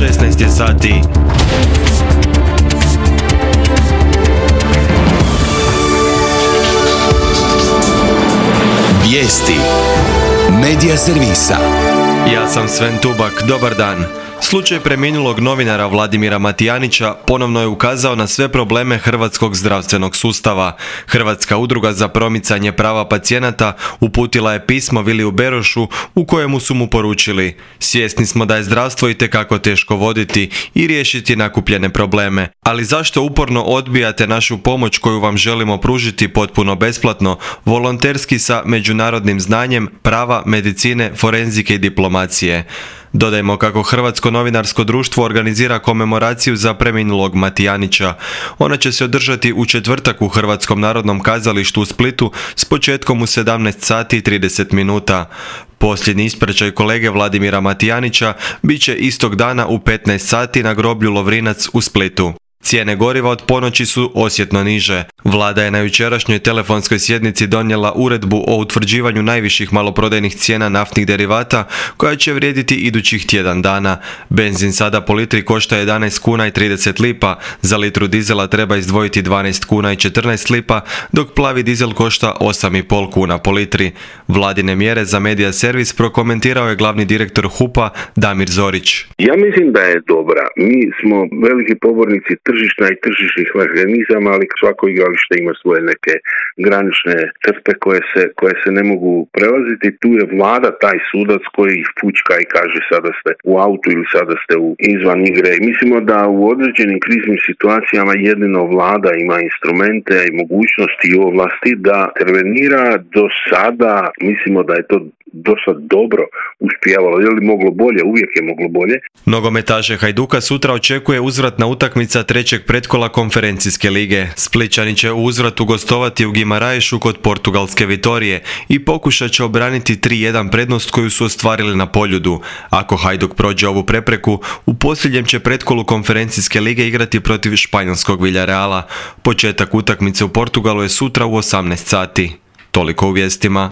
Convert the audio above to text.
16 je sati. Vijesti Medija servisa. Ja sam Sven Tubak, dobar dan. Slučaj preminulog novinara Vladimira Matijanića ponovno je ukazao na sve probleme hrvatskog zdravstvenog sustava. Hrvatska udruga za promicanje prava pacijenata uputila je pismo Viliju Berošu u kojemu su mu poručili: svjesni smo da je zdravstvo itekako teško voditi i riješiti nakupljene probleme, ali zašto uporno odbijate našu pomoć koju vam želimo pružiti potpuno besplatno, volonterski sa međunarodnim znanjem, prava, medicine, forenzike i diplomacije? Dodajmo kako Hrvatsko novinarsko društvo organizira komemoraciju za preminulog Matijanića. Ona će se održati u četvrtak u Hrvatskom narodnom kazalištu u Splitu s početkom u 17 sati i 30 minuta. Posljednji ispraćaj kolege Vladimira Matijanića bit će istog dana u 15 sati na groblju Lovrinac u Splitu. Cijene goriva od ponoći su osjetno niže. Vlada je na jučerašnjoj telefonskoj sjednici donijela uredbu o utvrđivanju najviših maloprodajnih cijena naftnih derivata koja će vrijediti idućih tjedan dana. Benzin sada po litri košta 11 kuna i 30 lipa, za litru dizela treba izdvojiti 12 kuna i 14 lipa, dok plavi dizel košta 8,5 kuna po litri. Vladine mjere za medija servis prokomentirao je glavni direktor HUP-a Damir Zorić. Ja mislim da je dobra. Mi smo veliki pobornici tržišta i tržišnih mehanizama, ali svako igralište ima svoje neke granične crte koje se ne mogu prelaziti. Tu je vlada taj sudac koji ih fućka i kaže sada ste u autu ili sada ste izvan igre. Mislimo da u određenim kriznim situacijama jedino vlada ima instrumente i mogućnosti i ovlasti da intervenira. Do sada mislimo da je to dosta dobro uspijevalo. Je li moglo bolje? Uvijek je moglo bolje. Nogometaše Hajduka sutra očekuje uzvratna utakmica trećeg pretkola konferencijske lige. Splićani će u uzvratu gostovati u Gimaraješu kod portugalske Vitorije i pokušat će obraniti 3-1 prednost koju su ostvarili na Poljudu. Ako Hajduk prođe ovu prepreku, u posljednjem će pretkolu konferencijske lige igrati protiv španjolskog Villareala. Početak utakmice u Portugalu je sutra u 18 sati. Toliko u vijestima.